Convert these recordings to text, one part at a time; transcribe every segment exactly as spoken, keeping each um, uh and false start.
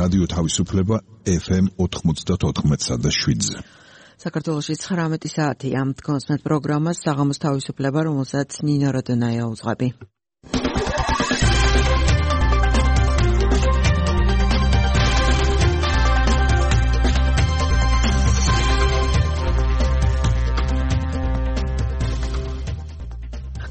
რადიო თავისუფლება ეფ ემ ოთხმოცდაოთხ და შვიდზე. საქართველოში ცხრამეტი საათია. თქვენს პროგრამას საღამოს თავისუფლება, რომელსაც ნინო როდონაია უძღვები.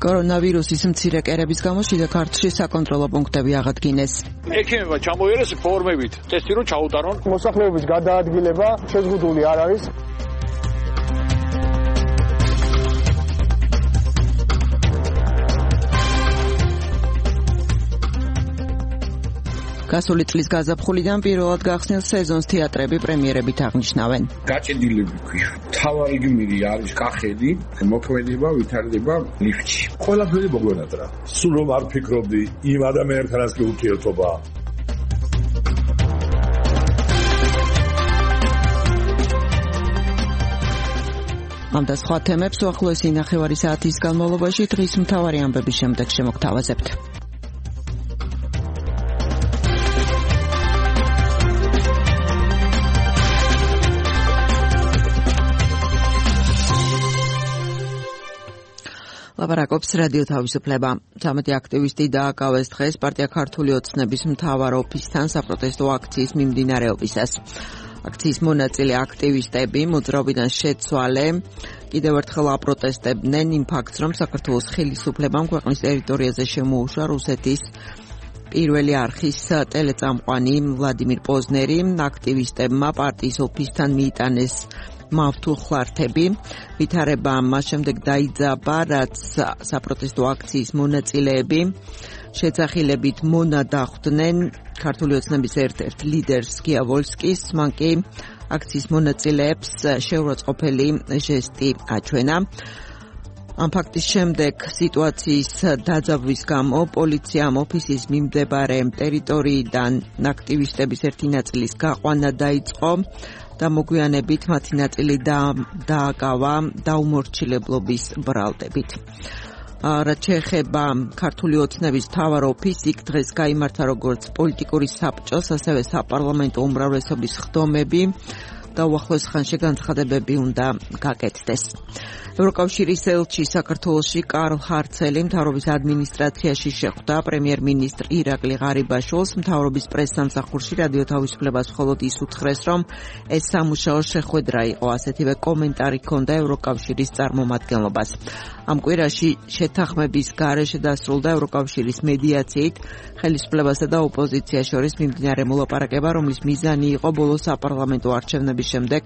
კორონავირუსის მცირე კერების გამო შიდა ქართლში საკონტროლო პუნქტები აღადგინეს. ექიმებმა ჩამოიერეს ფორმებით ტესტი რომ ჩაუტარონ. მოსახლეობის გადაადგილება შეზღუდული არ არის. გასული წლის გაზაფხულიდან პირველად გახსნილ სეზონს თეატრები პრემიერებით აღნიშნავენ. გაჭედილები ქვია. თავარი გმირი არის კახელი, მოქმედება ვითარდება ლიფტში. ყველაფერი მოგვენატრა. სულ რომ არ ფიქრობდი იმ ადამიანთანაც კი ურთიერთობა. ამ და სხვა თემებს უახლოესი ნახევარი საათის განმავლობაში დღის მთავარი ამბების შემდეგ შემოგთავაზებთ. ლაპარაკობს რადიო თავისუფლება. ცამეტი აქტივისტი დააკავეს დღეს პარტია ქართული ოცნების მთავარ ოფისთან საპროტესტო აქციის მიმდინარეობისას. აქციის მონაწილე აქტივისტები მოძრაობიდან შეცვალე კიდევ ერთხელ აპროტესტებდნენ იმ ფაქტს, რომ საქართველოს ხელისუფლებამ ქვეყნის ტერიტორიაზე შემოუშვა რუსეთის პირველი არხის ტელეწამყვანი ვლადიმირ პოზნერი. აქტივისტებმა პარტიის ოფისთან მიიტანეს მავთულ ხლართები. ვითარება მას შემდეგ დაიძაბა, რაც საპროტესტო აქციის მონაწილეები შეძახილებით მონადახვდნენ ქართული ოცნების ერთ-ერთ ლიდერს გიავოლსკის. მან კი აქციის მონაწილეებს შეურაცხყოფელი ჟესტი აჩვენა. ამ ფაქტის შემდეგ სიტუაციის დაძაბვის გამო პოლიციამ ოფისის მიმდებარე ტერიტორიიდან აქტივისტების ერთი ნაწილის გაყვანა დაიწყო და მოგვიანებით მათი ნაწილი დააკავა დაუმორჩილებლობის ბრალდებით. რაც შეეხება ქართული ოცნების მთავარ ოფისს, იქ დღეს გაიმართა როგორც პოლიტიკური საბჭოს, ასევე საპარლამენტო უმრავლესობის ხდომები და უახლოეს ხანში განცხადებები უნდა გაკეთდეს. ევროკავშირის ელჩი საქართველოში კარლ ჰარცელი მთავრობის ადმინისტრაციაში შეხვდა პრემიერ-მინისტრ ირაკლი ღარიბაშვილს. მთავრობის პრესსამსახურში რადიო თავისუფლებას მხოლოდ ის უთხრეს, რომ ეს სამუშაო შეხვედრა იყო. ასეთივე კომენტარი ჰქონდა ევროკავშირის წარმომადგენლობას. ამ კვირაში შეთანხმების გარეშე დასრულდა ევროკავშირის მედიაციით ხელისუფლებასა და ოპოზიციას შორის მიმდინარე მოლაპარაკება, რომლის მიზანი იყო ბოლო საპარლამენტო არჩევნების შემდეგ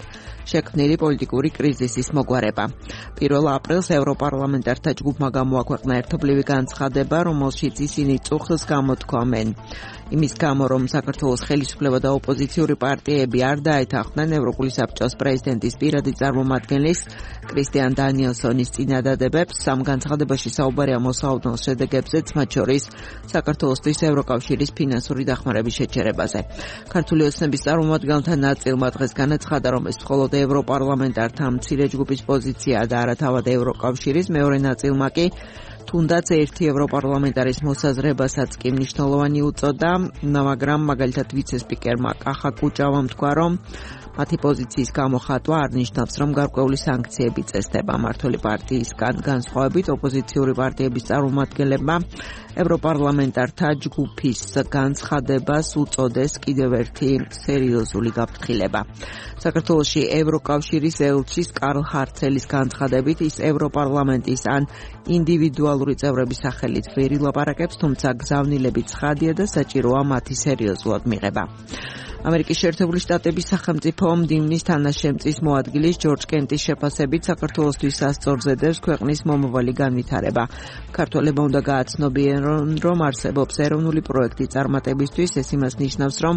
შექმნილი პოლიტიკური კრიზისის მოგვარება. პირველ აპრილს ევროპარლამენტართა ჯგუფმა გამოაქვეყნა ერთობლივი განცხადება, რომელშიც ისინი წუხილს გამოთქვამენ იმის გამო, რომ საქართველოს ხელისუფლება და ოპოზიციური პარტიები არ დაეთანხმნენ ევროპული საბჭოს პრეზიდენტის პირადი წარმომადგენლის კრისტიან დანიელსონის წინადადებებს. ამ განცხადებაში საუბარია მოსაოდნელ შედეგებზეც, მათ შორის საქართველოსთვის ევროკავშირის ფინანსური დახმარების შეჩერებაზე. ქართული ოცნების წარმომადგენელთა ნაწილმა დღეს განაცხადა, რომ ეს მხოლოდ ევროპარლამენტართა მცირე ჯგუფის პოზიციაა და არა თავად ევროკავშირის. მეორე ნაწილმა კი თუნდაც ერთი ევროპარლამენტარის მოსაზრებასაც კი მნიშვნელოვანი უწოდა, მაგრამ მაგალითად ვიცე-სპიკერმა კახა კუჭავამ თქვა, რომ მათი პოზიციის გამოხატვა არ ნიშნავს, რომ გარკვეული სანქციები წესდება. მმართველი პარტიისგან განსხვავებით ოპოზიციური პარტიების წარმომადგენლებმა ევროპარლამენტართა ჯგუფის განცხადებას უწოდეს კიდევ ერთი სერიოზული გაფრთხილება. საქართველოში ევროკავშირის ელჩის კარლ ჰარცელის განცხადებით, ის ევროპარლამენტის ან ინდივიდუალური წევრების სახელით ვერ ილაპარაკებს, თუმცა გზავნილები ცხადია და საჭიროა მათი სერიოზულად მიღება. ამერიკის შეერთებული შტატების სახელმწიფო მდივნის თანაშემწის მოადგილის ჯორჯ კენტის შეფასებით საქართველოსთვის სასწორზე დევს ქვეყნის მომავალი განვითარება. ქართველებმა უნდა გააცნობიერონ, რომ არსებობს ეროვნული პროექტი წარმატებისთვის. ეს იმას ნიშნავს, რომ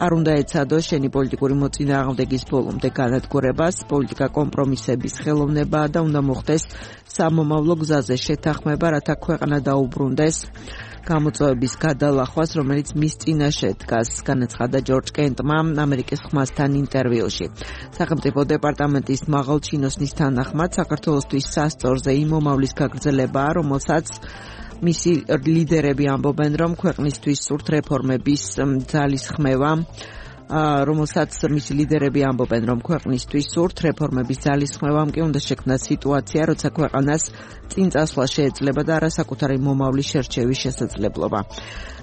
არ უნდა ეცადოს შენი პოლიტიკური მოწინააღმდეგის ბოლომდე განადგურებას, პოლიტიკა კომპრომისების ხელოვნებაა და უნდა მოხდეს სამომავლო გზაზე შეთანხმება, რათა ქვეყანა დაუბრუნდეს გამოწვევების გადალახვას, რომელიც მის წინაშე დგას, განაცხადა ჯორჯ კენტმა ამერიკის ხმასთან ინტერვიუში. სახელმწიფო დეპარტამენტის მაღალჩინოსნის თანახმად, საქართველოსთვის სასწორზე იმ მომავლის გაგრძელებაა, რომელსაც მისი ლიდერები ამბობენ, რომ ქვეყნისთვის სურთ რეფორმების ძალისხმევა, რომელსაც მისი ლიდერები ამბობენ, რომ ქვეყნისთვის სურთ რეფორმების ძალისხმევამ კი უნდა შექმნას სიტუაცია, როცა ქვეყანას წინ წასვლა შეეძლება და არასაკუთარი მომავლის შერჩევის შესაძლებლობა.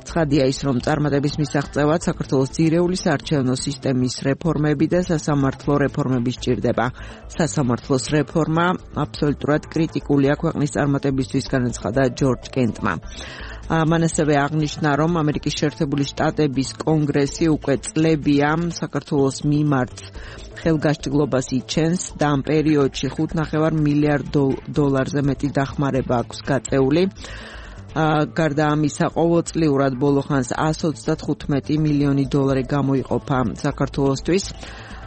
ცხადია ის, რომ წარმატების მისაღწევად საქართველოს ძირეული საარჩევნო სისტემის რეფორმები და სასამართლო რეფორმები სჭირდება. სასამართლოს რეფორმა აბსოლუტურად კრიტიკულია ქვეყნის წარმატებისთვის, განაცხადა ჯორჯ კენტმა. მან ასევე აღნიშნა, რომ ამერიკის შეერთებული შტატების კონგრესი უკვე წლებია საქართველოს მიმართ ხელგასჭრილობას იჩენს და ამ პერიოდში ხუთ ნახევარ მილიარდ დოლარზე მეტი დახმარება აქვს გაწეული. გარდა ამისა, ყოველწლიურად ბოლოხანს εκατს ოცდათხუთმეტი მილიონი დოლარი გამოიყოფა საქართველოსთვის.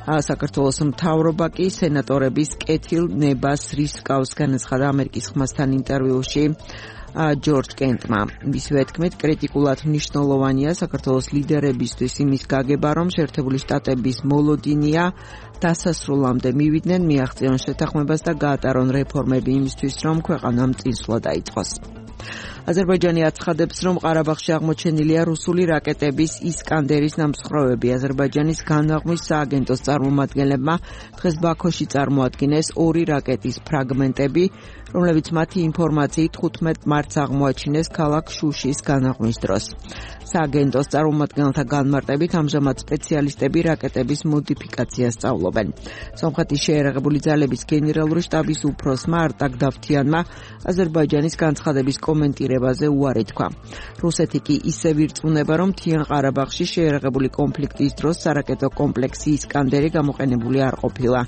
საქართველოს მთავრობა კი სენატორების კეთილ ნებას რისკავს, განაცხადა ამერიკის ხმასთან ინტერვიუში ჯორჯ კენტმა. მისივე თქმით, კრიტიკულად მნიშვნელოვანია საქართველოს ლიდერებისთვის იმის გაგება, რომ შეერთებული შტატების მოლოდინია დასასრულამდე მივიდნენ, მიაღწიონ შეთანხმებას და გაატარონ რეფორმები იმისთვის, რომ ქვეყანამ წინსვლა დაიწყოს. აზერბაიჯანი აცხადებს, რომ ყარაბაღში აღმოჩენილია რუსული რაკეტების ისკანდერის ნამსხვრევები. აზერბაიჯანის განაღმვის სააგენტოს წარმომადგენლებმა დღეს ბაქოში წარმოადგინეს ორი რაკეტის ფრაგმენტები, რომლებიც მათი ინფორმაციით ხუთმეტ მარტს აღმოაჩინეს ქალაქ შუშის განაღმვის დროს. სააგენტოს წარმომადგენელთა განმარტებით ამჟამად სპეციალისტები რაკეტების მოდიფიკაციას სწავლობენ. სომხეთის შეიარაღებული ძალების გენერალური შტაბის უფროსმა არტაკ დავთიანმა აზერბაიჯანის განცხადების კომენტირებაზე უარი თქვა. რუსეთი კი ისევ ირწმუნება, რომ მთიან ყარაბაღში შეიარაღებული კონფლიქტის დროს სარაკეტო კომპლექსი ისკანდერი გამოყენებული არ ყოფილა.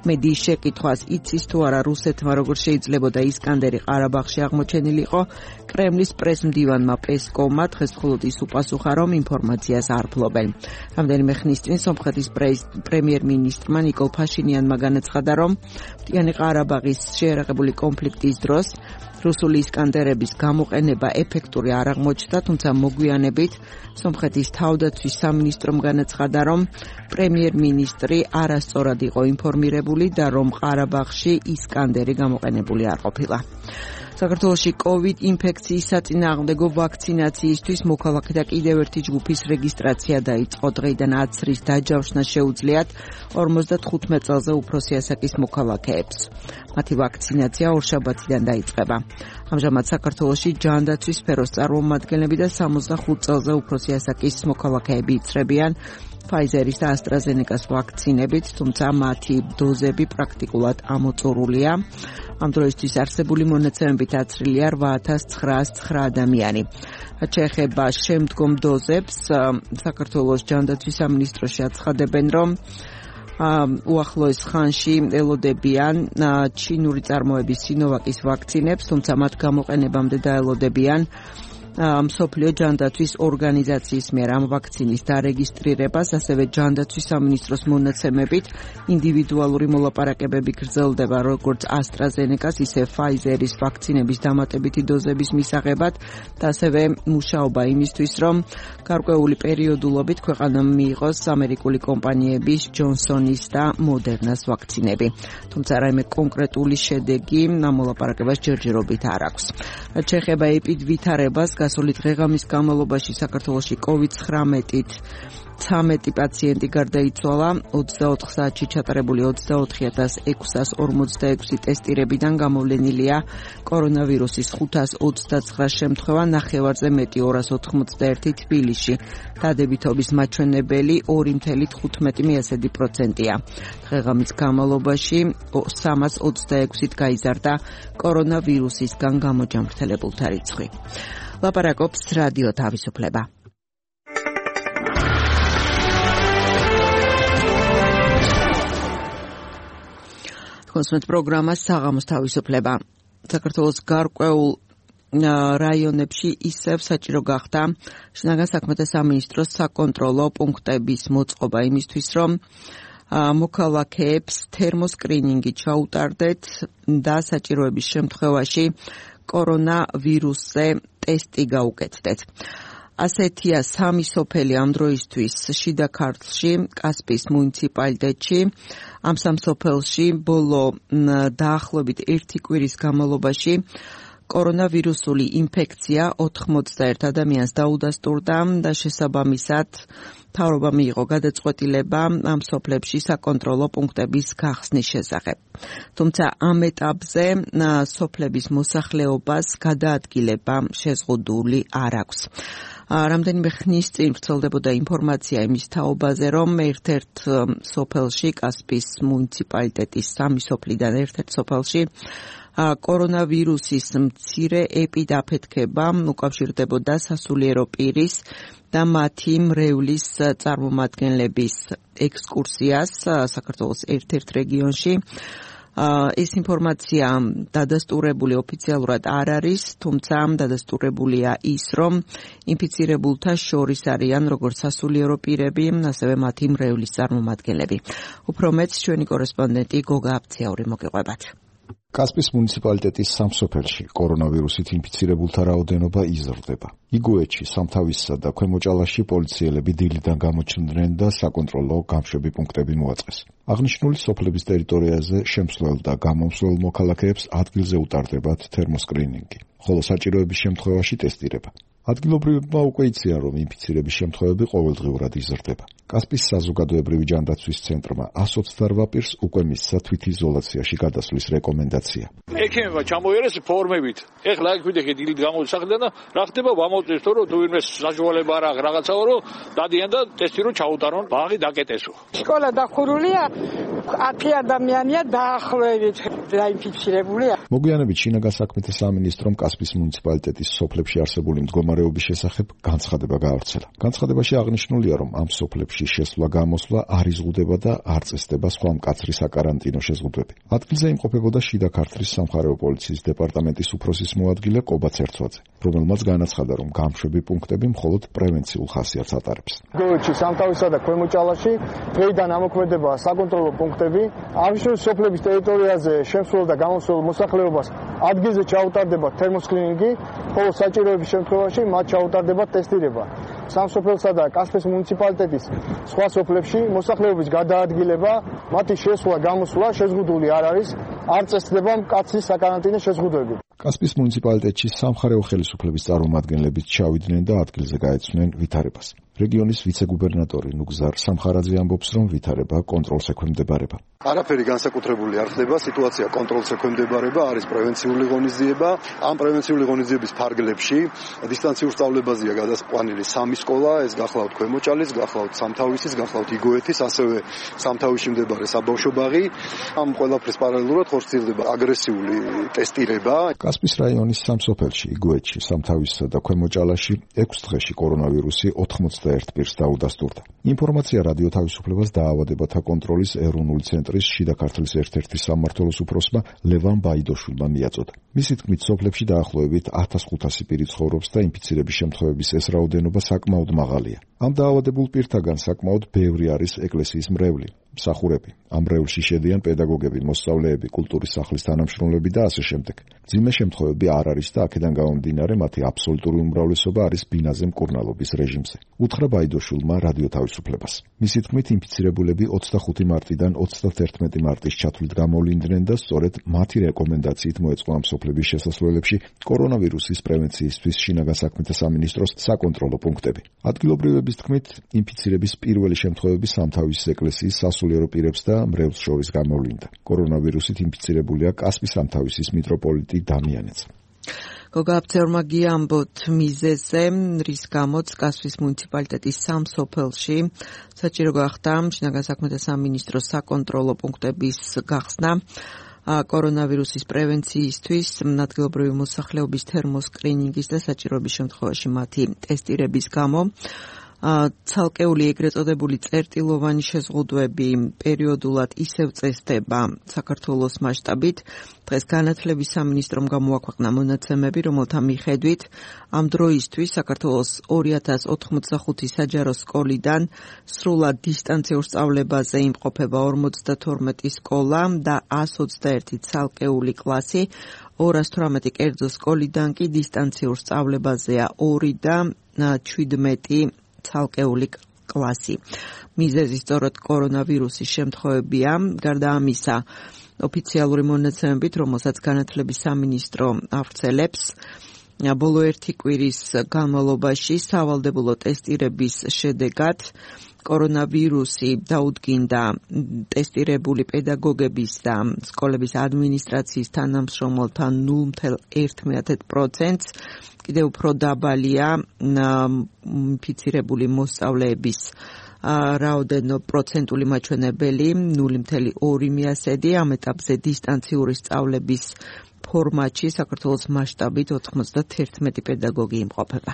მედიის შეკითხვას იცის თუ არა რუსეთმა როგორ შეიძლებოდა ისკანდერი ყარაბაღში აღმოჩენილიყო, კრემლის პრესმდივანმა პესკოვმა დღეს მხოლოდ ის უპასუხა, რომ ინფორმაციას არ ფლობენ. რამდენიმე ხნის წინ სომხეთის პრემიერ-მინისტრმა ნიკოლ ფაშინიანმა განაცხადა, რომ მთიანი ყარაბაღის შეიარაღებული კონფლიქტის დროს რუსული ისკანდერების გამოყენება ეფექტური არ აღმოჩნდა, თუმცა მოგვიანებით სომხეთის თავდაცვის სამინისტრომ განაცხადა, რომ პრემიერ-მინისტრი არასწორად იყო ინფორმირებული და რომ ყარაბაღში ისკანდერი გამოყენებული არ ყოფილა. საქართველოში კოვიდ ინფექციის საწინააღმდეგო ვაქცინაციისთვის მოქალაქეთა კიდევ ერთი ჯგუფის რეგისტრაცია დაიწყო. დღეიდან აცრის დაჯავშნა შეუძლიათ ორმოცდათხუთმეტ წელზე უფროსი ასაკის მოქალაქეებს. მათი ვაქცინაცია ორშაბათიდან დაიწყება. ამჟამად საქართველოში ჯანდაცვის სფეროს წარმომადგენლები და სამოცდახუთ წელზე უფროსი ასაკის მოქალაქეები იცრებიან Pfizer-ის და AstraZeneca-ს ვაქცინებით, თუმცა მათი დოზები პრაქტიკულად ამოწურულია. ამ დროისთვის არსებული მონაცემებით აცრილია რვა ათას ცხრაას ცხრა ადამიანი. შეეხება შემდგომ დოზებს, საქართველოს ჯანდაცვის სამინისტროში აცხადებენ, რომ უახლოეს ხანში ელოდებიან ჩინური წარმოების სინოვაკის ვაქცინებს, თუმცა მათ გამოყენებამდე დაელოდებიან მსოფლიო ჯანდაცვის ორგანიზაციის მიერ ამ ვაქცინის დარეგისტრირებას, ასევე ჯანდაცვის სამინისტროს მონაცემებით ინდივიდუალური მოლაპარაკებები გრძელდება როგორც AstraZeneca-ს, ისე Pfizer-ის ვაქცინების დამატებითი დოზების მისაღებად და ასევე მუშაობა იმისთვის, რომ გარკვეული პერიოდულობით ქვეყანამ მიიღოს ამერიკული კომპანიების Johnson-ის და Moderna-ს ვაქცინები. თუმცა რაიმე კონკრეტული შედეგი ამ მოლაპარაკებას ჯერჯერობით არ აქვს. რაც შეეხება ეპიდვითარებას, გასული დღეღამის განმავლობაში საქართველოში კოვიდ ცხრამეტით ცამეტი პაციენტი გარდაიცვალა, ოცდაოთხ საათში ჩატარებული ოცდაოთხი ათას ექვსას ორმოცდაექვსი ტესტირებიდან გამოვლენილია კორონავირუსის ხუთას ოცდაცხრა შემთხვევა, ნახევარზე მეტი ორას ოთხმოცდაერთი თბილისში. დადებითობის მაჩვენებელი ორი თხილ თხუთმეტი პროცენტია. დღეღამის განმავლობაში სამას ოცდაექვსით გაიზარდა კორონავირუსისგან გამოჯანმრთელებულთა რიცხვი. ლაპარაკობს რადიო თავისუფლება. კონსუმენტ პროგრამა საღამოს თავისუფლება. საქართველოს გარკვეულ რაიონებში ისევ საჭირო გახდა შინაგან საქმეთა სამინისტროს საკონტროლო პუნქტების მოწყობა იმისთვის, რომ მოქალაქეებს თერმოსკრინინგი ჩაუტარდეთ და საჭიროების შემთხვევაში კორონავირუსზე ტესტი გაუკეთდეთ. ასეთია სამი სოფელი ამ დროისთვის შიდა ქართლში, კასპიის მუნიციპალიტეტში. ამ სამ სოფელში ბოლო დაახლოებით ერთი კვირის განმავლობაში კორონავირუსული ინფექცია ოთხმოცდაერთ ადამიანს დაუდასტურდა და შესაბამისად მთავრობა მიიღო გადაწყვეტილება ამ სოფლებში საკონტროლო პუნქტების გახსნის შესახებ. თუმცა ამ ეტაპზე სოფლების მოსახლეობას გადაადგილება შეზღუდული არ აქვს. რამდენიმე ხნის წინ ვრცელდებოდა ინფორმაცია იმის თაობაზე, რომ ერთ-ერთ სოფელში, კასპიის მუნიციპალიტეტის სამი სოფლიდან ერთ-ერთ სოფელში კორონავირუსის მცირე ეპიდაფეთქება უკავშირდებოდა სასულიერო პირის და მათი მრევლის წარმომადგენლების ექსკურსიას საქართველოს ერთ-ერთ რეგიონში. ეს ინფორმაცია დადასტურებული ოფიციალურად არ არის, თუმცა დადასტურებულია ის, რომ ინფიცირებულთა შორის არიან როგორც სასულიერო პირები, ასევე მათი მრევლის წარმომადგენლები. უფრო მეც ჩვენი კორესპონდენტი გოგა აბციური მოგიყვებათ. კასპიის მუნიციპალიტეტის სამ სოფელში კორონავირუსით ინფიცირებულთა რაოდენობა იზრდება. იგუეთში, სამთავისსა და ქვემოჭალაში პოლიციელები დილიდან გამოჩნდნენ და საკონტროლო გამშვები პუნქტები მოაწყეს. აღნიშნული სოფლების ტერიტორიაზე შემსვლელ და გამომსვლელ მოქალაქეებს ადგილზე უტარდებათ თერმოსკრინინგი, ხოლო საჭიროების შემთხვევაში ტესტირება. ადგილობრივებმა უკვე იციან, რომ ინფიცირების შემთხვევები ყოველდღიურად იზრდება. კასპიის საზოგადოებრივი ჯანდაცვის ცენტრმა ას ოცდაორ პირს უკვე მისცა თვითიზოლაციაში გადასვლის რეკომენდაცია. ექიმებმა ჩამოიერეს ფორმებით. ეხლა აქ ვიდექი დილით გამოსახლდნენ და რა ხდება ვამოწევს თო რომ თუ ვინმე საშუალება არ აქვს რაღაცაო რომ დადიან და ტესტი რომ ჩაუტარონ, ბაღი დაკეტესო. სკოლა დახურულია, ათი ადამიანია დაახლოებით დაინფიცირებულია. მოგვიანებით შინაგან საქმეთა სამინისტრომ კასპიის მუნიციპალიტეტის სოფლებში არსებული მდგომარეობის შესახებ განცხადება გაავრცელა. განცხადებაში აღნიშნულია, რომ ამ სოფლებში შესვლა-გამოსვლა არ იზღუდება და არ წესდება სხვა მკაცრი საკარანტინო შეზღუდვები. ადგილზე იმყოფებოდა შიდა ქართლის სამხარეო პოლიციის დეპარტამენტის უფროსის მოადგილე კობა ცერცვაძე, რომელმაც განაცხადა, რომ გამშვები პუნქტები მხოლოდ პრევენციულ ხასიათს ატარებს. იგუეთში, სამთავისსა და ქვემოჭალაში დღეიდან ამოქმედება საკონტროლო პუნქტები. აღნიშნული სოფლების ტერიტორიაზე შემსვლელ და გამოსვლელ მოსახლეობას ადგილზე ჩაუტარდება თერმოსკრინინგი, ხოლო საჭიროების შემთხვევაში მათ ჩაუტარდება ტესტირება. სამ სოფელსა და კასპიის მუნიციპალიტეტის სხვა სოფლებში მოსახლეობის გადაადგილება, მათი შესვლა, გამოსვლა შეზღუდული არ არის, არ წესდება მკაცრი საკარანტინო შეზღუდვები. კასპიის მუნიციპალიტეტში სამხარეო ხელისუფლების წარმომადგენლებიც ჩავიდნენ და ადგილზე გაეცნენ ვითარებას. რეგიონის ვიცე-გუბერნატორი ნუგზარ სამხარაძე ამბობს, რომ ვითარება კონტროლს ექვემდებარება. არაფერი განსაკუთრებული არ ხდება, სიტუაცია კონტროლს ექვემდებარება, არის პრევენციული ღონისძიება. ამ პრევენციული ღონისძიების ფარგლებში დისტანციურ სწავლებაზეა გადასყვანილი სამი სკოლა, ეს გახლავთ ქვემოჭალის, გახლავთ სამთავისის, გახლავთ იგუეთის, ასევე სამთავისში მდებარე საბავშვო ბაღი. ამ ყველაფრის პარალელურად ხორციელდება აგრესიული ტესტირება. კასპიის რაიონის სამ სოფელში, იგუეთში, სამთავისსა და ქვემოჭალაში ექვს დღეში კორონავირუსი ოთხმოცდაერთ პირს დაუდასტურდა. ინფორმაცია რადიო თავისუფლებას დაავადებათა კონტროლის ეროვნული ცენტრის შიდა ქართლის ერთ-ერთი სამმართველოს უფროსმა ლევან ბაიდოშვილმა მიაწოდა. მისი თქმით, სოფლებში დაახლოებით ათას ხუთასი პირი ცხოვრობს და ინფიცირების შემთხვევების ეს რაოდენობა საკმაოდ მაღალია. ამ დაავადებულ პირთაგან საკმაოდ ბევრი არის ეკლესიის მრევლი, მსახურები. ამ მრევლში შედიან პედაგოგები, მოსწავლეები, კულტურის სახლის თანამშრომლები და ასე შემდეგ. მძიმე შემთხვევები არ არის და აქედან გამომდინარე მათი აბსოლუტური უმრავლესობა არის ბინაზე მკურნალობის რეჟიმზე. უთხრა ბაიდოშვილმა რადიო თავისუფლებას. მისი თქმით, ინფიცირებულები ოცდახუთი მარტიდან ოცდაათერთმეტი მარტის ჩათვლით გამოვლინდნენ და სწორედ მათი რეკომენდაციით მოეწყო ამ სოფლების შესასვლელებში კორონავირუსის პრევენციისთვის შინაგან საქმეთა სამინისტროს საკონტროლო პუნქტები. ადგილობრივების თქმით, ინფიცირების პირველი შემთხვევები სამთავისის ეკლესიის სასულიერო პირებს და მრევლს შორის გამოვლინდა. კორონავირუსით ინფიცირებულია კასპიის სამთავისის მიტროპოლიტი დამიანეც. გოგა აბცეურმა გიამბოთ მიზეზზე, რის გამოც კასპიის მუნიციპალიტეტის სამ სოფელში საჭირო გახდა შინაგან საქმეთა სამინისტროს საკონტროლო პუნქტების გახსნა კორონავირუსის პრევენციისთვის, ადგილობრივი მოსახლეობის თერმოსკრინინგის და საჭიროების შემთხვევაში მათი ტესტირების გამო. ცალკეული ეგრეთ წოდებული წერტილოვანი შეზღუდვები პერიოდულად ისევ წესდება საქართველოს მასშტაბით. დღეს განათლების სამინისტრომ გამოაქვეყნა მონაცემები, რომელთა მიხედვით ამ დროისთვის საქართველოს ორი ათას ოთხმოცდახუთი საჯარო სკოლიდან სრულად დისტანციურ სწავლებაზე იმყოფება ორმოცდათორმეტი სკოლა და ას ოცდაერთი ცალკეული კლასი, ორას თვრამეტი კერძო სკოლიდან კი დისტანციურ სწავლებაზეა ორი და ჩვიდმეტი ცალკეული კლასი. მიზეზი სწორედ კორონავირუსის შემთხვევებია. გარდა ამისა, ოფიციალური მონაცემებით, რომელსაც განათლების სამინისტრო ავრცელებს, ბოლო ერთი კვირის განმავლობაში სავალდებულო ტესტირების შედეგად კორონავირუსი დაუდგინდა ტესტირებული პედაგოგების და სკოლების ადმინისტრაციის თანამშრომელთა ნულ целых ერთი პროცენტს, კიდევ უფრო დაბალია ინფიცირებული მოსწავლეების რაოდენო პროცენტული მაჩვენებელი ნული целых ორი პროცენტი, ამ ეტაპზე დისტანციური სწავლების ფორმატში საქართველოს მასშტაბით ოთხმოცდაერთი პედაგოგი იმყოფება.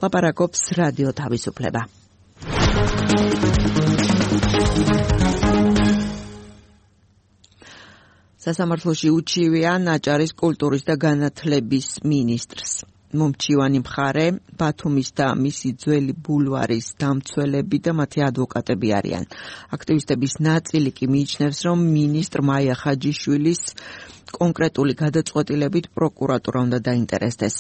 ლაპარაკობს რადიო თავისუფლება. სასამართლოში უჩივია ნაჭარის კულტურის და განათლების მინისტრს. მომჩივანი მხარე ბათუმის და მისი ძველი ბულვარის დამცველები და მათი ადვოკატები არიან. აქტივისტების ნაწილი კი მიიჩნევს, რომ მინისტრ მაია ხაჯიშვილის კონკრეტული გადაწყვეტილებით პროკურატურა უნდა დაინტერესდეს.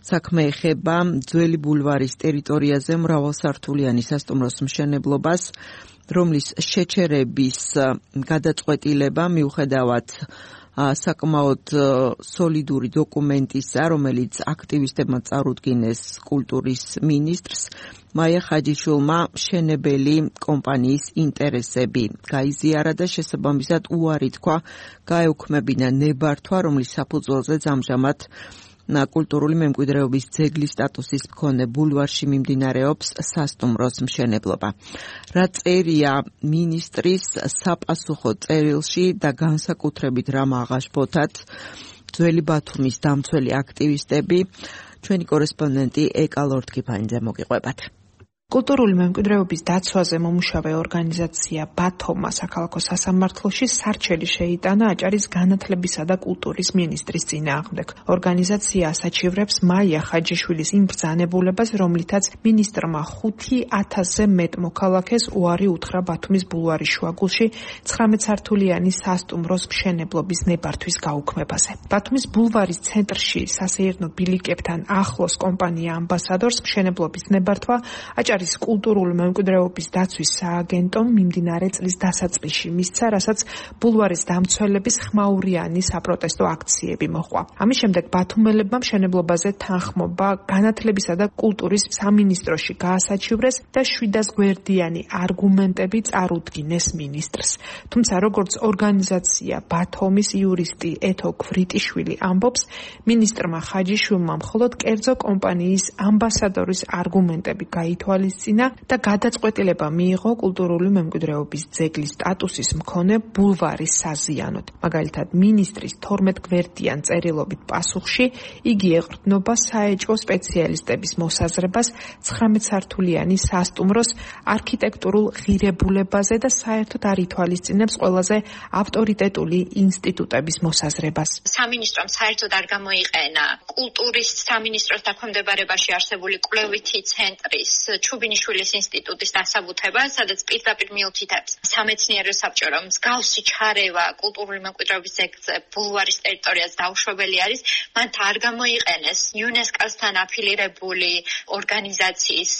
საქმე ეხება ძველი ბულვარის ტერიტორიაზე მრავალსართულიანი სასტუმროს მშენებლობას, რომლის შეჩერების გადაწყვეტილება მიუხედავად საკმაოდ სოლიდური დოკუმენტისა, რომელიც აქტივისტებმა წარუდგინეს კულტურის მინისტრს, მაია ხაჯიშვილმა მშენებელი კომპანიის ინტერესები გაიზიარა და შესაბამისად უარი თქვა გაეუქმებინა ნებართვა, რომლის საფუძველზეც ამჟამად კულტურული მემკვიდრეობის ძეგლის სტატუსის მქონე ბულვარში მიმდინარეობს სასტუმროს მშენებლობა. რა წერია მინისტრის საპასუხო წერილში და განსაკუთრებით რა მაღაშფოთად ძველი ბათუმის დამცველი აქტივისტები, ჩვენი კორესპონდენტი ეკა ლორდ-კიფანიძე მოგიყვებათ. კულტურული მემკვიდრეობის დაცვაზე მომუშავე ორგანიზაცია ბათომა საქალაქო სასამართლოში სარჩელი შეიტანა აჭარის განათლებისა და კულტურის მინისტრის წინააღმდეგ. ორგანიზაცია ასაჩივრებს მაია ხაჯიშვილის იმ ბრძანებულებას, რომლითაც მინისტრმა ხუთი ათასზე მეტ მოქალაქეს უარი უთხრა ბათუმის ბულვარის შუაგულში ცხრამეტსართულიანი სასტუმროს მშენებლობის ნებართვის გაუქმებაზე. ბათუმის ბულვარის ცენტრში სასეირნო ბილიკებთან ახლოს კომპანია ამბასადორს მშენებლობის ნებართვა აჭარის კულტურული მემკვიდრეობის დაცვის სააგენტომ მიმდინარე წლის დასაწყისში მისცა, რასაც ბულვარის დამცველების ხმაურიანი საპროტესტო აქციები მოჰყვა. ამის შემდეგ ბათუმელებმა მშენებლობაზე თანხმობა განათლებისა და კულტურის სამინისტროში გაასაჩივრეს და შვიდას გვერდიანი არგუმენტები წარუდგინეს მინისტრს. თუმცა როგორც ორგანიზაცია ბათომის იურისტი ეთო ქვრიტიშვილი ამბობს, მინისტრმა ხაჯიშვილმა მხოლოდ კერძო კომპანიის ამბასადორის არგუმენტები გაითვალისწინა და გადაწყვეტილება მიიღო კულტურული მემკვიდრეობის ძეგლის სტატუსის მქონე ბულვარის საზიანოდ. მაგალითად, მინისტრის თორმეტ გვერდიან წერილობით პასუხში იგი ეყრდნობა საეჭვო სპეციალისტების მოსაზრებას ცხრამეტსართულიანი სასტუმროს არქიტექტურულ ღირებულებაზე და საერთოდ არ ითვალისწინებს ყველაზე ავტორიტეტული ინსტიტუტების მოსაზრებას. სამინისტრომ საერთოდ არ გამოიყენა კულტურის სამინისტროს დაქვემდებარებაში არსებული კვლევითი ცენტრის ჩუბინიშვილის ინსტიტუტის დასაბუთება, სადაც პირდაპირ მიუთითებს სამეცნიერო საბჭო, მსგავსი ჩარევა კულტურული მემკვიდრეობის ძეგლზე ბულვარის ტერიტორიაზე დაუშვებელი არის, მან არ გამოიყენეს იუნესკოს-თან აფილირებული ორგანიზაციის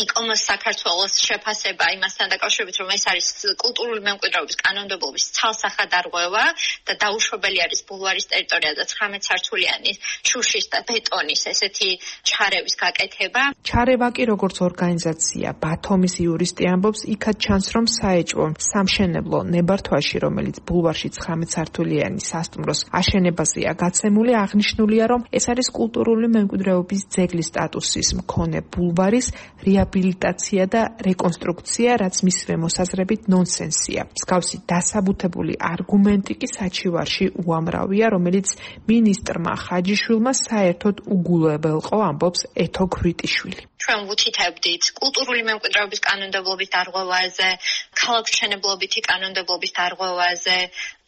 იკომოს საქართველოს შეფასება იმასთან დაკავშირებით, რომ ეს არის კულტურული მემკვიდრეობის კანონმდებლობის ცალსახადარღვევა და დაუშვებელი არის ბულვარის ტერიტორიაზე ცხრამეტსართულიანი შუშის და ბეტონის ესეთი ჩარევის გაკეთება. ჩარევა კი როგორც ორგანიზაცია ბათომის იურისტი ამბობს, იქაც ჩანს, რომ საეჭვო სამშენებლო ნებართვაში, რომელიც ბულვარში ცხრამეტსართულიანი სასტუმროს აშენებაზეა გაცემული, აღნიშნულია, რომ ეს არის კულტურული მემკვიდრეობის ძეგლის სტატუსის მქონე ბულვარის რეაბილიტაცია და რეკონსტრუქცია, რაც მისივე მოსაზრებით ნონსენსია. მსგავსი დასაბუთებული არგუმენტი კი საჩივარში უამრავია, რომელიც მინისტრმა ხაჯიშვილმა საერთოდ უგულებელყო, ამბობს ეთო ქვრიტიშვილი. ჩვენ ვუთითებდით კულტურული მემკვიდრეობის კანონმდებლობის დარღვევაზე, ქალაქმშენებლობითი კანონმდებლობის დარღვევაზე,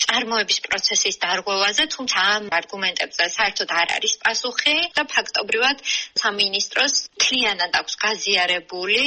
წარმოების პროცესის დარღვევაზე, თუმცა ამ არგუმენტებზე საერთოდ არ არის პასუხი და ფაქტობრივად სამინისტროს მთლიანად აქვს გაზიარებული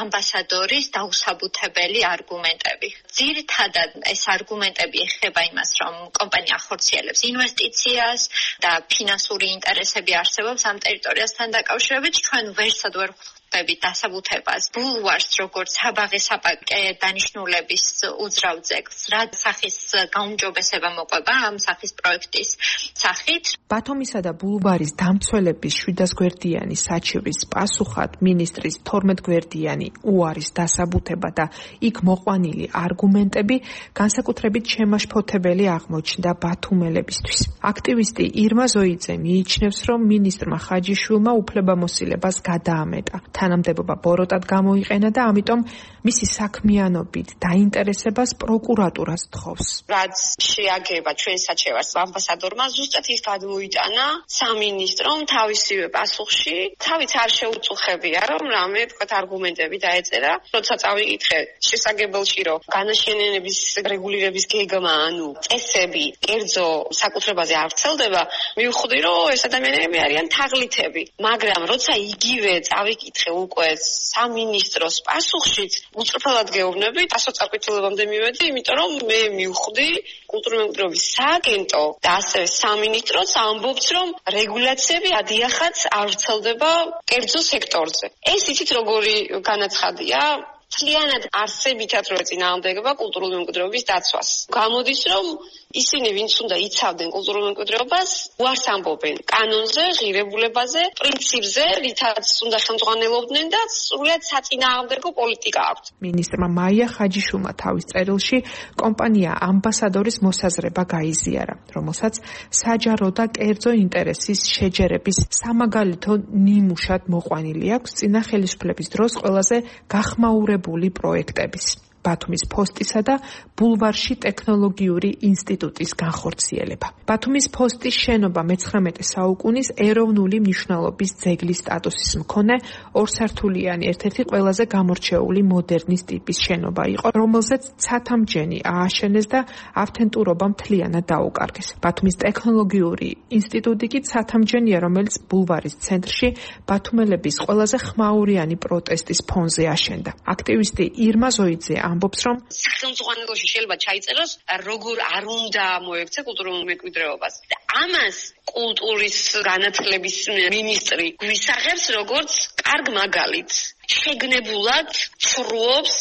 ამბასადორის დაუსაბუთებელი არგუმენტები. ძირითადად ეს არგუმენტები ეხება იმას, რომ კომპანია ახორციელებს ინვესტიციას და ფინანსური ინტერესები არსებობს ამ ტერიტორიასთან დაკავშირებით. ჩვენ ვერსად ვერ ვხვდებით დასაბუთებას, ბულვარს, როგორც საბაღე საპაკე დანიშნულების უძრავ ძეგლს, რა სახის გაუმჯობესება მოყვება ამ სახის პროექტის სახით. ბათუმისა და ბულვარის დამცველების შვიდას გვერდიანი საჩივრის პასუხად მინისტრის თორმეტ გვერდიანი უარის დასაბუთება და იქ მოყვანილი არგუმენტები განსაკუთრებით შემაშფოთებელი აღმოჩნდა ბათუმელებისთვის. აქტივისტი ირმა ზოიძე მიიჩნევს, რომ მინისტრმა ხაჯიშვილმა უფლებამოსილებას გადაამეტა. თანამდებობა ბოროტად გამოიყენა და ამიტომ მისი საქმიანობით დაინტერესებას პროკურატურას თხოვს. რაც შეაგება ჩვენ საჩევარს ამბასადორმა ზუსტად ის გადმოიტანა სამინისტრომ თავისივე პასუხში, თავიც არ შეუწუხებია, რომ რამე თქვათ არგუმენტები დაეწერა, როცა წავიკითხე შესაგებელში, რომ განაშენიანების რეგულირების გეგმა, ანუ წესები, კერძო საკუთრებაზე არ ვრცელდება, მივხვდი, რომ ეს ადამიანები არიან თაღლითები, მაგრამ როცა იგივე წავიკითხე უკვე სამინისტროს პასუხშიც უწრფელად გეუბნებით, ასოწარკვეთილებამდე მივედი, იმიტომ რომ მე მივხვდი კულტურული მემკვიდრეობის სააგენტო და ასევე სამინისტროც ამბობს, რომ რეგულაციები ადიახაც არ ვრცელდება კერძო სექტორზე. ეს იცით როგორი განაცხადია? მთლიანად არსებითად რო ეწინააღმდეგება კულტურული მემკვიდრეობის დაცვას. გამოდის, რომ ისინი ვინც უნდა იცავდნენ კულტურულ მემკვიდრეობას, უარს ამბობენ კანონზე, ღირებულებაზე, პრინციპზე, რითაც უნდა ხელმძღვანელობდნენ და სრულიად საწინააღმდეგო პოლიტიკა აქვთ. მინისტრმა მაია ხაჯიშვილმა თავის წერილში კომპანია ამბასადორის მოსაზრება გაიზიარა, რომელსაც საჯარო და კერძო ინტერესის შეჯერების სამაგალითო ნიმუშად მოყვანილი აქვს წინა ხელისუფლების დროს ყველაზე გახმაურებული პროექტების. ბათუმის ფოსტისა და ბულვარში ტექნოლოგიური ინსტიტუტის განხორციელება. ბათუმის ფოსტის შენობა მეცხრამეტე საუკუნის ეროვნული მნიშვნელობის ძეგლის სტატუსის მქონე ორსართულიანი ერთ-ერთი ყველაზე გამორჩეული მოდერნის ტიპის შენობა იყო, რომელზეც ცათამჯენი ააშენეს და ავთენტურობა მთლიანად დაუკარგეს. ბათუმის ტექნოლოგიური ინსტიტუტი კი ცათამჯენია, რომელიც ბულვარის ცენტრში ბათუმელების ყველაზე ხმაურიანი პროტესტის ფონზე აშენდა. აქტივისტი ირმა ზოიძე ამბობს, რომ სახელმწიფოში შეიძლება ჩაიწეროს როგორ არ უნდა მოექცე კულტურულ მემკვიდრეობას. და ამას კულტურის განათლების მინისტრი გვისაღებს როგორც კარგ მაგალითს. შეგნებულად ცრუობს,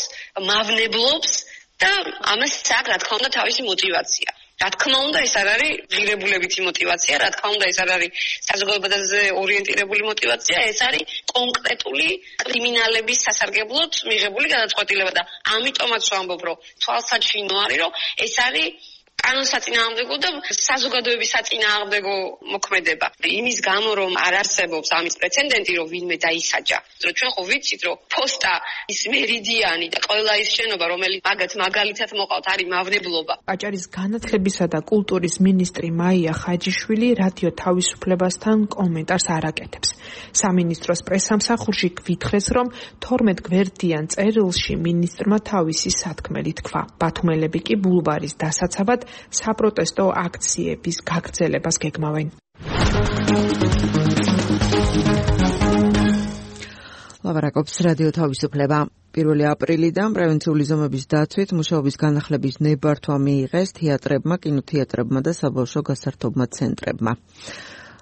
მავნებლობს და ამას აქვს რა თქმა უნდა თავისი мотиваცია. რა თქმა უნდა ეს არ არის ღირებულებითი мотиваცია, რა თქმა უნდა ეს არ არის საზოგადოებაზე ორიენტირებული мотиваცია, ეს არის კონკრეტული კრიმინალების სასარგებლოდ მიღებული გადაწყვეტილება და ამიტომაც ვამბობ, რომ თვალსაჩინო არის, რომ ეს არის კანონსაწინააღმდეგო და საზოგადოების საწინააღმდეგო მოქმედება. იმის გამო რომ არ არსებობს ამის პრეცედენტი, რომ ვინმე დაისაჯა. რომ ჩვენ ხო ვიცით, რომ ფოსტა ის მერიდიანი და ყველა ის შენობა, რომელიც მაგათ მაგალითად მოყავთ, არის მავნებლობა. აჭარის განათლებისა და კულტურის მინისტრი მაია ხაჯიშვილი რადიო თავისუფლებასთან კომენტარს არ აკეთებს. სამინისტროს პრესამსახურში გვითხრეს, რომ თორმეტ გვერდიან წერილში მინისტრმა თავისი სათქმელი თქვა. ბათუმელები კი ბულვარის დასაცავად საპროტესტო აქციების გაგრძელებას გეგმავენ. ლაპარაკობს რადიო თავისუფლება. პირველი აპრილიდან პრევენციული ზომების დაცვით მუშაობის განახლების ნებართვა მიიღეს თეატრებმა, კინოთეატრებმა და საბავშვო გასართობმა ცენტრებმა.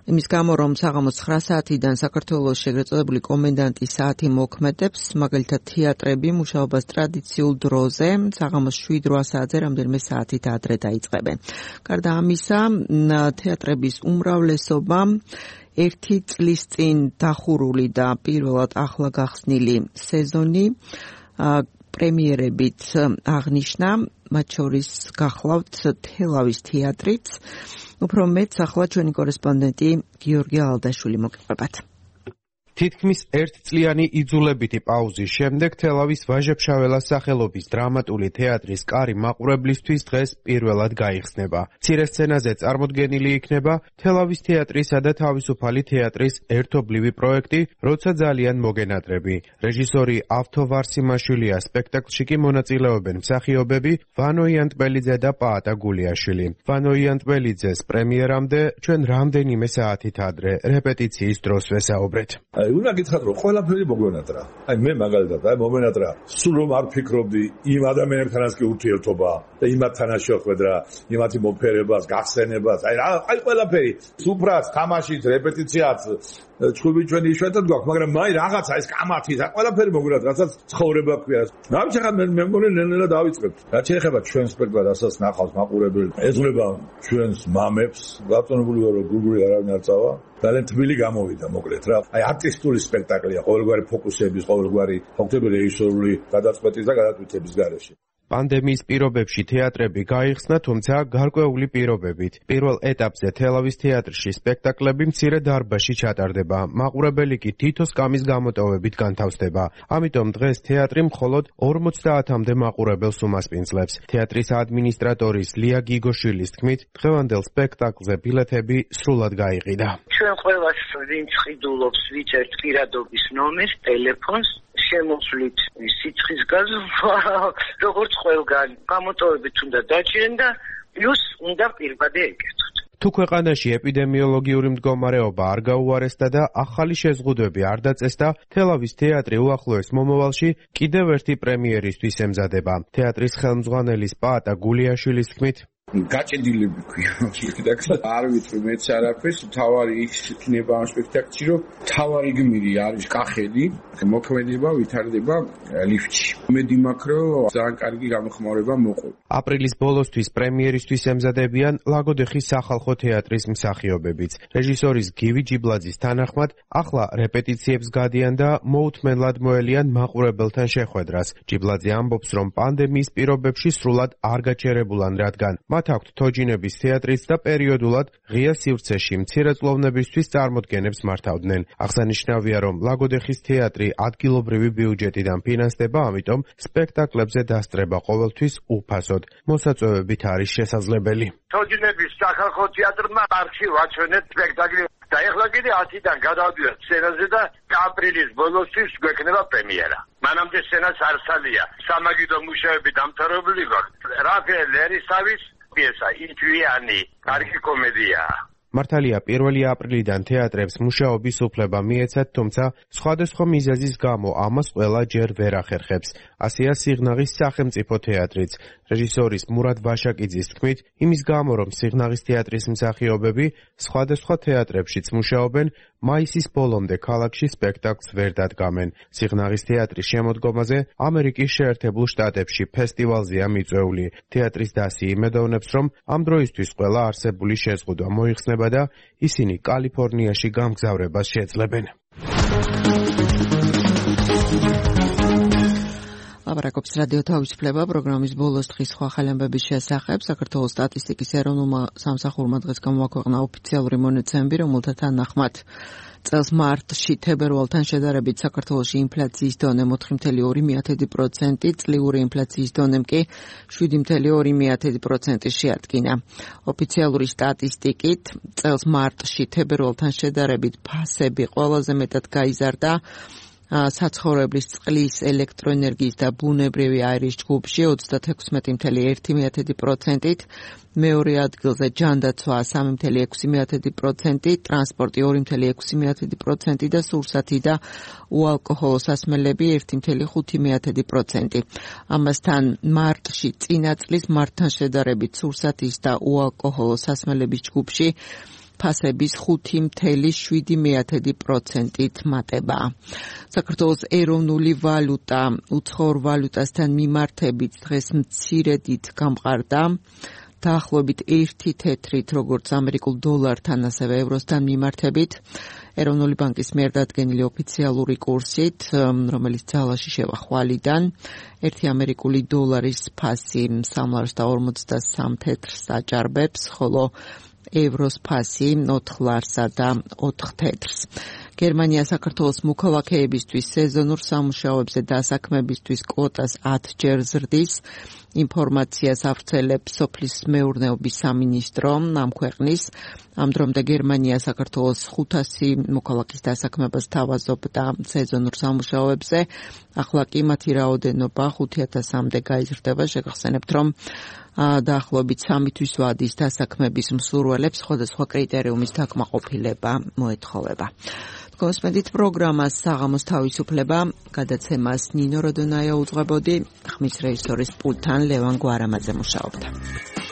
იმის გამო, რომ საღამოს ცხრა საათიდან საქართველოს შეგრეთ წოდებული კომენდანტის საათი მოქმედებს, მაგალითად თეატრები მუშაობას ტრადიციულ დროზე, საღამოს შვიდ რვა საათზე რამდენიმე საათით ადრე დაიწყებენ. გარდა ამისა, თეატრების უმრავლესობა ერთი წლის წინ დახურული და პირველად ახლა გახსნილი სეზონი პრემიერებით აღნიშნა, მათ შორის გახლავთ თელავის თეატრიც. უფრო მეტ ახლა ჩვენი კორესპონდენტი გიორგი ალდაშვილი მოგიყვებათ. თითქმის ერთწლიანი იძულებითი პაუზის შემდეგ თელავის ვაჟა-ფშაველას სახელობის დრამატული თეატრის კარი მაყურებლისთვის დღეს პირველად გაიხსნება. მცირე სცენაზე წარმოდგენილი იქნება თელავის თეატრისა და თავისუფალი თეატრის ერთობლივი პროექტი, როცა ძალიან მოგენატრები. რეჟისორი ავთო ვარსიმაშვილია, სპექტაკლში კი მონაწილეობენ მსახიობები ვანო იანტბელიძე და პაატა გულიაშვილი. ვანო იანტბელიძეს პრემიერამდე ჩვენ რამდენიმე საათით ადრე რეპეტიციის დროს ვესაუბრეთ. აი უნდა გითხრათ რომ ყველაფერი მოგვენატრა. აი მე მაგალითად აი მომენატრა სულ რომ არ ფიქრობდი იმ ადამიანთანაც კი ურთიერთობა და იმათთანაც შეხვედრა, იმათი მოფერებას, გახსენებას, აი რა აი ყველაფერი, სუფრაც, თამაშიც, რეპეტიციაც, ჩხუბი ჩვენი იშვიათად გვაქვს, მაგრამ მაი რაღაცა ეს კამათი, რა ყველაფერი მოგვენატრა, რასაც ცხოვრება ქვია. ნამის ახლა მე მეგონი ნელ-ნელა დავიწყებთ. რაც შეეხება ჩვენ სპექტაკლს, რასაც ნახავს მაყურებელი, ეძღვნება ჩვენს მამებს, გაწონებული ვარ რომ გუგური არავინ არ წავა. ძალიან თბილი გამოვიდა მოკლედ რა. აი არტისტული სპექტაკლია, ყოველგვარი ფოკუსების, ყოველგვარი ფაქტობრივი რეჟისორული გადაწყვეტის და გადაწყვეტების გარეშე. პანდემიის პირობებში თეატრები გაიხსნა, თუმცა გარკვეული პირობებით. პირველ ეტაპზე თელავის თეატრში სპექტაკლები მცირე დარბაზში ჩატარდება. მაყურებელი კი თითო სკამის გამოტოვებით განთავსდება. ამიტომ დღეს თეატრი მხოლოდ ორმოცდაათამდე მაყურებელს უმასპინძლებს. თეატრის ადმინისტრატორის ლია გიგოშვილის თქმით, დღევანდელ სპექტაკლზე ბილეთები სრულად გაიყიდა. ჩვენ ყველას ვინც ყიდულობს ვიწერთ პირადობის ნომერს, ტელეფონს, შემოსვლით სიცხის გაზრდა, როგორც ყველგან გამოტოვებით უნდა დაჭირენ და პლუს უნდა პირბადე ეკეთოთ. თუ ქვეყანაში ეპიდემიოლოგიური მდგომარეობა არ გაუარესდა და ახალი შეზღუდვები არ დაწესდა, თელავის თეატრი უახლოეს მომავალში კიდევ ერთი პრემიერისთვის ემზადება. თეატრის ხელმძღვანელის პაატა გულიაშვილის თქმით, გაჭედილები ქვია სპექტაკლს. არ ვიცი მეც არაფერს, თავარი ის იქნება ამ სპექტაკლში, რომ თავარი გმირი არის კახელი, მოქმედება ვითარდება ლიფტში. იმედი მაქვს, რომ ძალიან კარგი გამოხმაურება მოყვა. აპრილის ბოლოსთვის პრემიერისთვის ემზადებიან ლაგოდეხის სახალხო თეატრის მსახიობებიც. რეჟისორის გივი ჯიბლაძის თანახმად, ახლა რეპეტიციებს გადიან და მოუთმენლად მოელიან მაყურებელთან შეხვედრას. ჯიბლაძე ამბობს, რომ პანდემიის პირობებში სრულად არ გაჩერებულან, რადგან მათ აქვთ თოჯინების თეატრიც და პერიოდულად ღია სივრცეში მცირეწლოვნებისთვის წარმოდგენებს მართავდნენ. აღსანიშნავია, რომ ლაგოდეხის თეატრი ადგილობრივი ბიუჯეტიდან ფინანსდება, ამიტომ სპექტაკლებზე დასწრება ყოველთვის უფასოდ. მოსაწვევებით არის შესაძლებელი. თოჯინების სახალხო თეატრმა არქი ვაჩვენეთ სპექტაკლი და ეხლა კიდე ათიდან გადავდივართ სცენაზე და აპრილის ბოლოსთვის გვექნება პრემიერა. მანამდე სცენას არსალია. სამაგიდო მუშაობები დამთავრებული გვაქვს. რაფაელ ერისავის პიესა იჩვიანი, კარგი კომედიაა. მართალია პირველი აპრილიდან თეატრებს მუშაობის უფლება მიეცათ, თუმცა სხვადასხვა მიზეზის გამო ამას ყველა ჯერ ვერ ახერხებს. ასეა სიღნაღის სახელმწიფო თეატრიც. რეჟისორის მურად ვაშაკიძის თქმით, იმის გამო, რომ სიღნაღის თეატრის მსახიობები სხვადასხვა თეატრებშიც მუშაობენ, მაისის ბოლომდე ქალაქში სპექტაკლს ვერ დადგამენ. სიღნაღის თეატრის შემოდგომაზე ამერიკის შეერთებულ შტატებში ფესტივალზეა მიწვეული. თეატრის დასი იმედოვნებს, რომ ამ დროისთვის ყველა არსებული შეზღუდვა მოიხსნება და ისინი კალიფორნიაში გამგზავრებას შეძლებენ. ლაპარაკობს რადიო თავისუფლება პროგრამის ბოლოს დღის სხვა ხალხების შესახებ. საქართველოს სტატისტიკის ეროვნულმა სამსახურმა დღეს გამოაქვეყნა ოფიციალური მონაცემები, რომელთა თანახმად წელს მარტში თებერვალთან შედარებით საქართველოში ინფლაციის დონე ოთხი კoma ორი პროცენტი, წლიური ინფლაციის დონემ კი შვიდი კoma ორი პროცენტი შეადგინა. ოფიციალური სტატისტიკით წელს მარტში თებერვალთან შედარებით ფასები ყველაზე მეტად გაიზარდა საცხოვრებლის წყლის, ელექტროენერგიის და ბუნებრივი აირის ჯგუფში ოცდაექვსი კoma ერთი პროცენტით, მეორე ადგილზე ჯანდაცვა სამი კoma ექვსი პროცენტი, ტრანსპორტი ორი კoma ექვსი პროცენტი და სურსათი და უალკოჰოლო სასმელები ერთი კoma ხუთი პროცენტი. ამასთან მარტში წინა წლის მარტთან შედარებით სურსათის და უალკოჰოლო სასმელების ჯგუფში ფასების ხუთი კoma შვიდი პროცენტით მატება. საქართველოს ეროვნული ვალუტა უცხოურ ვალუტასთან მიმართებით დღეს მცირედით გამყარდა. დაახლოებით ერთი თეთრით, როგორც ამერიკულ დოლართან, ასევე ევროსთან მიმართებით. ეროვნული ბანკის მიერ დადგენილი ოფიციალური კურსით, რომელიც ძალაში შევა ხვალიდან, ერთი ამერიკული დოლარის ფასი სამლარს და ორმოცდასამ თეთრს აჭარბებს, ხოლო ევროს ფასი ოთხ ლარსა და ოთხ თეთრს. გერმანია საქართველოს მოქალაქეებისთვის სეზონურ სამუშაოებზე დასაქმებისთვის კვოტას ათჯერ ზრდის. ინფორმაციას ავრცელებს სოფლის მეურნეობის სამინისტრო ამ ქვეყნის. ამ დრომდე გერმანია საქართველოს ხუთასი მოქალაქის დასაქმებას თავაზობდა სეზონურ სამუშაოებზე. ახლა კი მათი რაოდენობა ხუთ ათასამდე გაიზრდება. შეგახსენებთ, რომ დაახლოებით სამი თვის ვადის დასაქმების მსურველებს სხვადასხვა კრიტერიუმის დაკმაყოფილება მოეთხოვება. გოსმედით პროგრამას საღამოს თავისუფლება, გადაცემას ნინო როდონაია უძღვებოდი, ხმის რეჟისორის პულტთან ლევან გვარამაძე მუშაობდა.